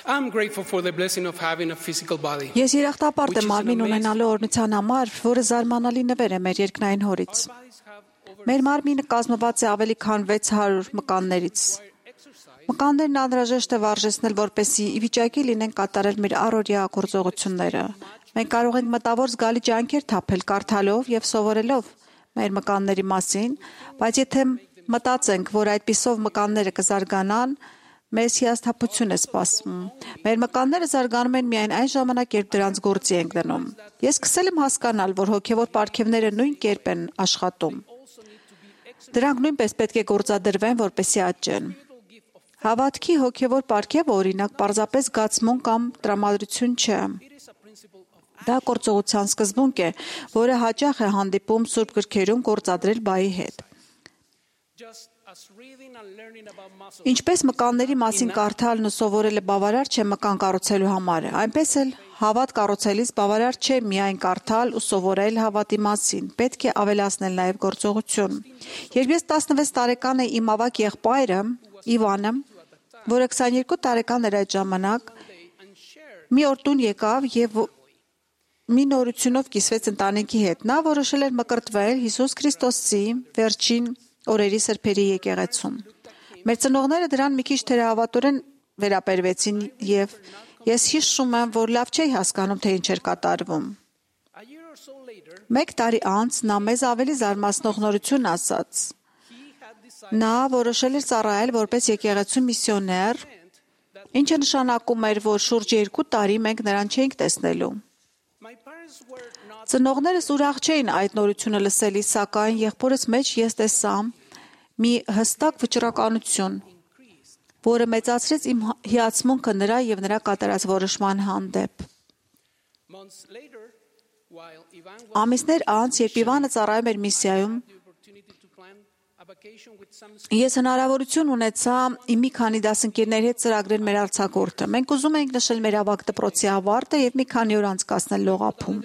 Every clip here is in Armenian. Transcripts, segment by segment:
I'm grateful for the blessing of having a physical body. Ես երախտապարտ եմ մարմին ունենալու օրհնության համար, որը զարմանալի նվեր է մեր երկնային հորից։ Մեր մարմինը կազմված է ավելի քան 600 մկաններից։ Մկաններն անհրաժեշտ է վարժեցնել, որպեսզի ի վիճակի լինեն կատարել մեր առօրյա գործողությունները։ Մենք կարող ենք մտավոր զգալի ջանքեր թափել կարդալով եւ սովորելով մեր մկանների մասին, բայց եթե մտածենք, որ այդպիսով մկանները կզարգանան, մեզ հիասթափություն է սպասում։ Մեր մկանները զարգանում են միայն այն ժամանակ, երբ դրանց գործի ենք դնում։ Ես սկսել եմ հասկանալ, որ հոգևոր պարգևները նույն կերպ են աշխատում։ Դրանք նույնպես պետք է գործադրվեն, որպեսզի աճեն։ Հավատքի հոգևոր պարգևը, օրինակ, պարզապես զգացմունք կամ տրամադրություն չէ։ Դա գործողության սկզբունք է, որը հաճախ է հանդիպում Սուրբ գրքերում գործադրել բայի հետ։ Ինչպես մկանների մասին կարդալն ու սովորելը բավարար չէ մկան կառուցելու համար, այնպես էլ հավատ կառուցելիս բավարար չէ միայն կարդալ ու սովորել հավատի մասին, պետք է ավելացնել նաև գործողություն։ Երբ ես 16 տարեկան էի, իմ ավագ եղբայրը Իվանը, որը 22 տարեկան էր այդ ժամանակ, մի օր տուն եկավ եւ մի նորությունով կիսվեց ընտանիքի հետ։ Նա որոշել էր մկրտվել Հիսուս Քրիստոսի վերջին օրերի սրբերի եկեղեցում։ Մեր ծնողները դրան մի քիչ թերահավատորեն վերաբերվեցին եւ ես հիշում եմ, որ լավ չէի հասկանում, թե ինչ էր կատարվում։ Մեկ տարի անց նա մեզ ավելի զարմացնող նորություն ասաց։ Նա որոշել էր ծառայել որպես եկեղեցու միսիոներ, ինչը նշանակում էր, որ շուրջ 2 տարի մենք նրան չէինք տեսնելու։ Ծնողներս ուրախ չէին այդ նորությունը լսելիս, սակայն եղբորս մեջ ես տեսա մի հստակ վճռականություն, որը մեծացրեց իմ հիացմունքը նրա եւ նրա կատարած որոշման հանդեպ։ Ամիսներ անց, երբ Իվանը ծառայում էր միսիայում, ես հնարավորություն ունեցա իմ մի քանի դասընկերների հետ ծրագրել մեր արձակուրդը։ Մենք ուզում էինք նշել մեր ավագ դպրոցի ավարտը եւ մի քանի օր անցկացնել լողափում։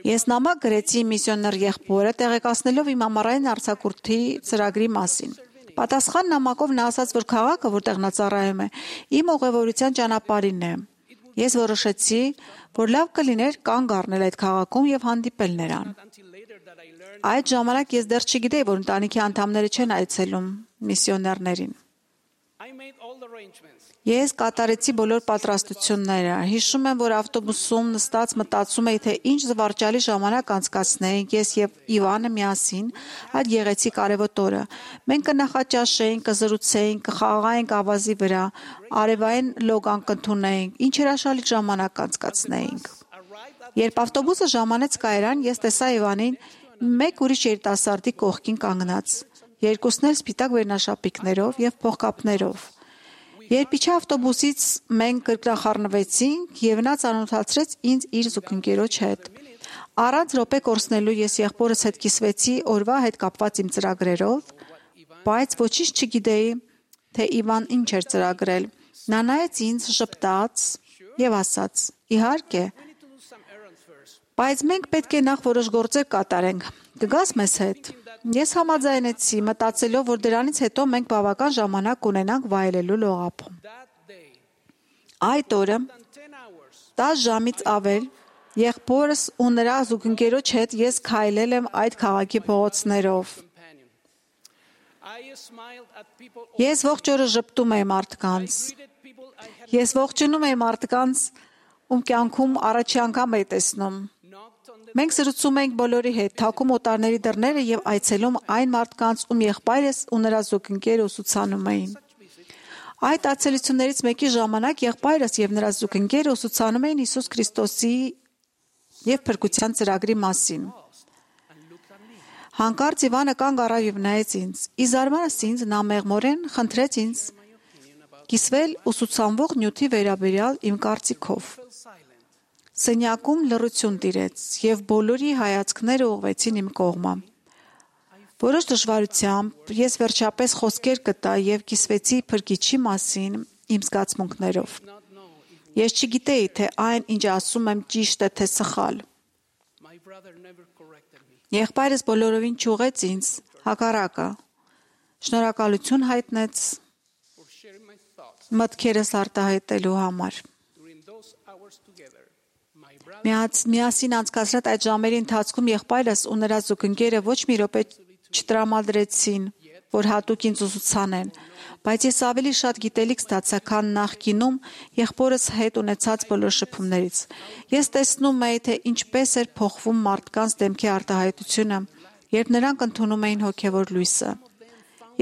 Ես նամակ գրեցի միսիոներ եղբորը, տեղեկացնելով իմ ամառային արձակուրդի ծրագրի մասին։ Պատասխան նամակով նա ասաց, որ քաղաքը, որտեղ նա ծառայում է, իմ ուղևորության ճանապարհին է։ Ես որոշեցի, որ լավ կլիներ կանգ առնել այդ քաղաքում եւ հանդիպել նրան։ Այդ ժամանակ ես դեռ չգիտեի, որ ընտանիքի անդամները չեն այցելում միսիոներներին։ Ես կատարեցի բոլոր պատրաստությունները։ Հիշում եմ, որ ավտոբուսում նստած մտածում էի, թե ինչ զվարճալի ժամանակ անցկացնեինք ես եւ Իվանը միասին այդ գեղեցիկ արևոտ օրը։ Մենք կնախաճաշեինք, կզրուցեինք, կխաղայինք ավազի վրա, արևային լոգան կընդունեինք, ինչ հրաշալի ժամանակ անցկացնեինք։ Երբ ավտոբուսը ժամանեց կայարան, ես տեսա Իվանին մեկ ուրիշ երիտասարդի կողքին կանգնած, երկուսն էլ սպիտակ վերնաշապիկներով եւ փողկապներով։ Երբ իջա ավտոբուսից մենք կրկնախառնվեցինք եւ նա ծանոթացրեց ինձ իր զուգընկերոջ հետ։ Առանց րոպե կորցնելու ես եղբորս հետ կիսվեցի օրվա հետ կապված իմ ծրագրերով, բայց ոչինչ չգիտեի, թե Իվան ինչ էր ծրագրել։ Նա նայեց ինձ, ժպտաց եւ ասաց. «Իհարկե, բայց մենք պետք է նախ որոշ գործեր կատարենք։ Կգաս մեզ հետ»։ Ես համաձայնեցի, մտածելով, որ դրանից հետո մենք բավական ժամանակ կունենանք վայելելու լողափում։ Այդ օրը 10 ժամից ավել եղբորս ու նրա զուգընկերոջ հետ ես քայլել եմ այդ քաղաքի փողոցներով։ Ես ողջ օրը ժպտում էի մարդկանց։ Ես ողջունում էի մարդկանց, ում կյանքում առաջի անգամ էի տեսնում։ Մենք զրուցում էինք բոլորի հետ, թակում օտարների դռները եւ այցելում այն մարդկանց, ում եղբայրս ու նրա զուգընկերը ուսուցանում էին։ Այդ այցելություններից մեկի ժամանակ եղբայրս եւ նրա զուգընկերը ուսուցանում էին Հիսուս Քրիստոսի եւ փրկության ծրագրի մասին։ Հանկարծ Իվանը կանգ առավ եւ նայեց ինձ։ Ի զարմանս ինձ նա մեղմորեն խնդրեց ինձ կիսվել ուսուցանվող նյութի վերաբերյալ իմ կարծիքով։ Սենյակում լռություն տիրեց եւ բոլորի հայացքները ուղղվեցին իմ կողմը։ Որոշ դժվարությամբ ես վերջապես խոսքեր գտա եւ կիսվեցի փրկիչի մասին իմ զգացմունքներով։ Ես չգիտեի, թե այն, ինչ ասում եմ, ճիշտ է թե սխալ։ Եղբայրս բոլորովին չուղեց ինձ, հակառակը, շնորհակալություն հայտնեց մտքերս արտահայտելու համար։ Միասին անցկացրած այդ ժամերի ընթացքում եղբայրս ու նրա զուգընկերը ոչ մի րոպե չտրամադրեցին, որ հատուկ ինձ ուսուցանեն, բայց ես ավելի շատ գիտելիք ստացա, քան նախկինում եղբորս հետ ունեցած բոլոր շփումներից։ Ես տեսնում էի, թե ինչպես էր փոխվում մարդկանց դեմքի արտահայտությունը, երբ նրանք ընդունում էին հոգևոր լույսը։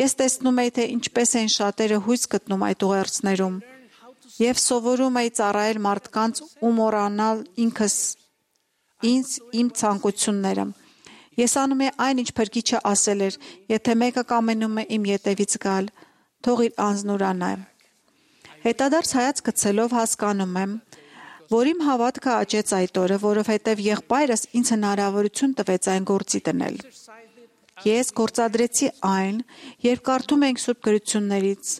Ես տեսնում էի, թե ինչպես էին շատերը հույս գտնում այդ ուղերձներում եւ սովորում էի ծառայել մարդկանց ու մոռանալ ինձ իմ ցանկությունները։ Ես անում էի այն, ինչ Փրկիչը ասել էր. եթե մեկը կամենում է իմ ետևից գալ, թող իր անձն ուրանա։ Հետադարձ հայացք գցելով հասկանում եմ, որ իմ հավատքը աճեց այդ օրը, որովհետև եղբայրս ինձ հնարավորություն տվեց այն գործի դնել։ Ես գործադրեցի այն, երբ կարդում էինք Սուրբ Գրություններից,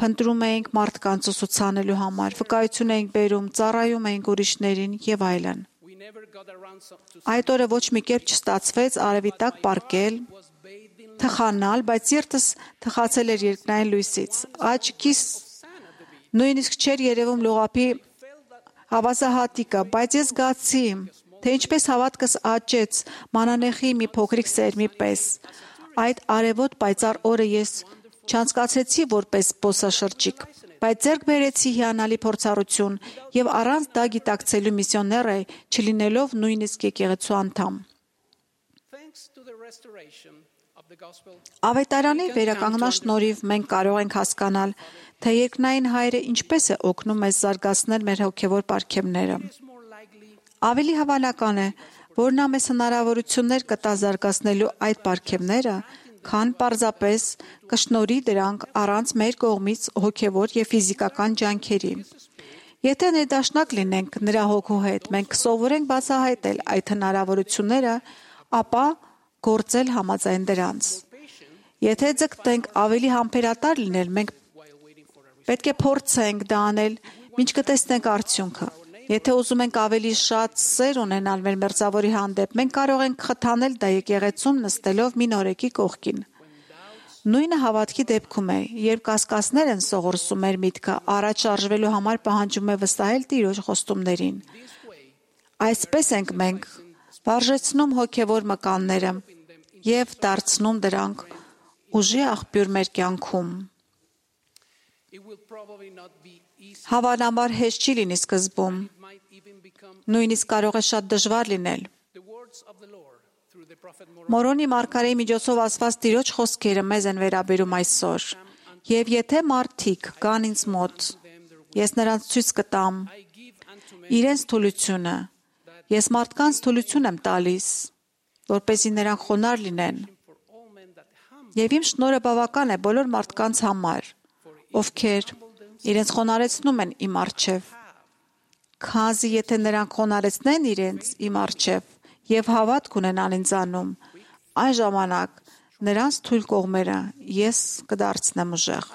փնտրում էինք մարդկանց ուսուցանելու համար, վկայություն էինք բերում, ծառայում էինք ուրիշներին եւ այլն։ Այդ օրը ոչ մի կերպ չստացվեց արևի տակ պառկել, թխանալ, բայց սիրտս թխացել էր երկնային լույսից։ Աչքիս նույնիսկ չէր երևում լողափի հավասահատիկը, բայց ես զգացի, թե ինչպես հավատքս աճեց մանանեխի մի փոքրիկ սերմի պես։ Այդ արևոտ պայծառ օրը ես չանցկացրեցի որպես զբոսաշրջիկ, բայց ձեռք բերեցի հիանալի փորձառություն եւ առանց դա գիտակցելու միսիոներ էի, չլինելով նույնիսկ եկեղեցու անդամ։ Ավետարանի վերականգնման շնորհիվ մենք կարող ենք հասկանալ, թե երկնային Հայրը ինչպես է օգնում մեզ զարգացնել մեր հոգևոր պարգևները։ Ավելի հավանական է, որ նա մեզ հնարավորություններ կտա զարգացնելու այդ պարգևները, քան պարզապես կշնորհի դրանք առանց մեր կողմից հոգևոր եւ ֆիզիկական ջանքերի։ Եթե ներդաշնակ լինենք նրա հոգու հետ, մենք կսովորենք բացահայտել այդ հնարավորությունները, ապա գործել համաձայն դրանց։ Եթե ձգտենք ավելի համբերատար լինել, մենք պետք է փորձենք դա անել, մինչ կտեսնենք արդյունքը։ Եթե ուզում ենք ավելի շատ սեր ունենալ մեր մերձավորի հանդեպ, մենք կարող ենք խթանել դա եկեղեցում նստելով մի նորեկի կողքին։ Նույնը հավատքի դեպքում է, երբ կասկածներ են սողորսում մեր միտքը, առաջ շարժվելու համար պահանջում է վստահել Տիրոջ խոստումներին։ Այսպես ենք մենք վարժեցնում հոգևոր մկանները եւ դարձնում դրանք ուժի աղբյուր մեր կյանքում։ Հավանաբար հեշտ չի լինի սկզբում, նույնիսկ կարող է շատ դժվար լինել։ Մորոնի մարգարեի միջոցով ասված Տիրոջ խոսքերը մեզ են վերաբերում այսօր։ Եվ եթե մարդիկ կան ինձ մոտ, ես նրանց ցույց կտամ իրենց թուլությունը։ Ես մարդկանց թուլություն եմ տալիս, որպեսզի նրանք խոնարհ լինեն։ Եվ իմ շնորհը բավական է բոլոր մարդկանց համար, ովքեր իրենց խոնարհեցնում են իմ առջև, քանզի եթե նրանք խոնարհեցնեն իրենց իմ առջև եւ հավատք ունենան ինձանում, այն ժամանակ նրանց թույլ կողմերը ես կդարձնեմ ուժեղ։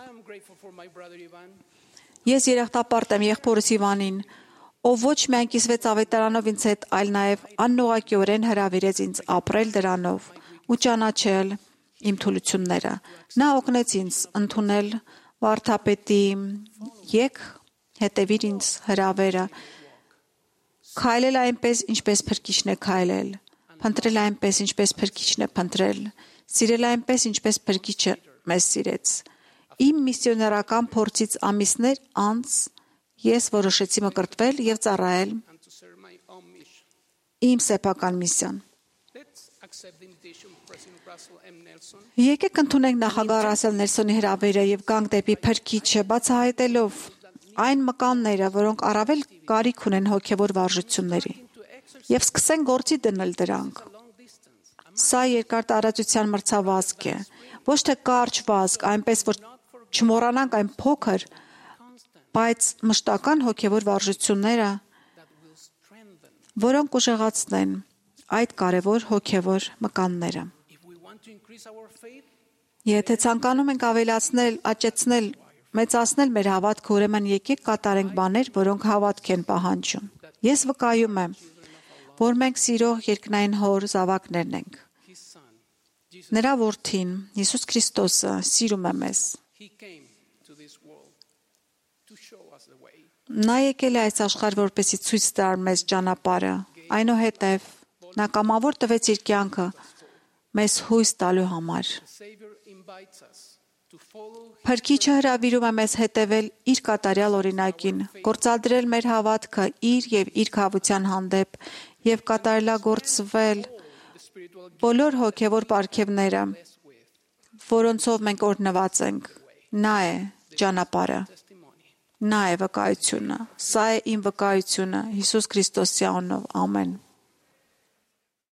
Ես երախտապարտ եմ եղբորս Իվանին, ով ոչ միայն կիսվեց ավետարանով ինձ հետ, այլ նաեւ աննողակիորեն հրավիրեց ինձ ապրել դրանով ու ճանաչել իմ թուլությունները։ Նա օգնեց ինձ ընդունել վարդապետի «Եկ հետևիր ինձ» հրավերը, քայլել այնպես, ինչպես Փրկիչն է քայլել, փնտրել այնպես, ինչպես Փրկիչն է փնտրել, սիրել այնպես, ինչպես Փրկիչը մեզ սիրեց։ Իմ միսիոներական փորձից ամիսներ անց ես որոշեցի մկրտվել եւ ծառայել իմ սեփական միսիան։ Եկեք ընդունենք նախագահ Ռասել Նելսոնի հրավերը եւ գանք դեպի Փրկիչը, բացահայտելով այն մկանները, որոնք առավել կարիք ունեն հոգևոր վարժությունների, եւ սկսենք գործի դնել դրանք։ Սա երկար տարածության մրցավազք է, ոչ թե կարճ վազք, այնպես որ չմոռանանք այն փոքր, բայց մշտական հոգևոր վարժությունները, որոնք ուժեղացնեն այդ կարևոր հոգևոր մկանները։ Եթե ցանկանում ենք ավելացնել, աճեցնել, մեծացնել մեր հավատքը, ուրեմն եկեք կատարենք բաներ, որոնք հավատք են պահանջում։ Ես վկայում եմ, որ մենք սիրող երկնային Հոր զավակներն ենք։ Նրա որդին, Հիսուս Քրիստոսը, սիրում է մեզ։ Նա եկել է այս աշխարհ, որպեսզի ցույց տար մեզ ճանապարհը։ Այնուհետև նա կամավոր տվեց իր կյանքը մեզ հույս տալու համար։ Փրկիչը հրավիրում է մեզ հետևել իր կատարյալ օրինակին, գործադրել մեր հավատքը իր եւ իր քավության հանդեպ եւ կատարելագործվել բոլոր հոգեվոր պարգևները, որոնցով մենք օրհնված ենք։ Նա է ճանապարհը։ Նա է վկայությունը։ Սա է իմ վկայությունը Հիսուս Քրիստոսի անունով։ Ամեն։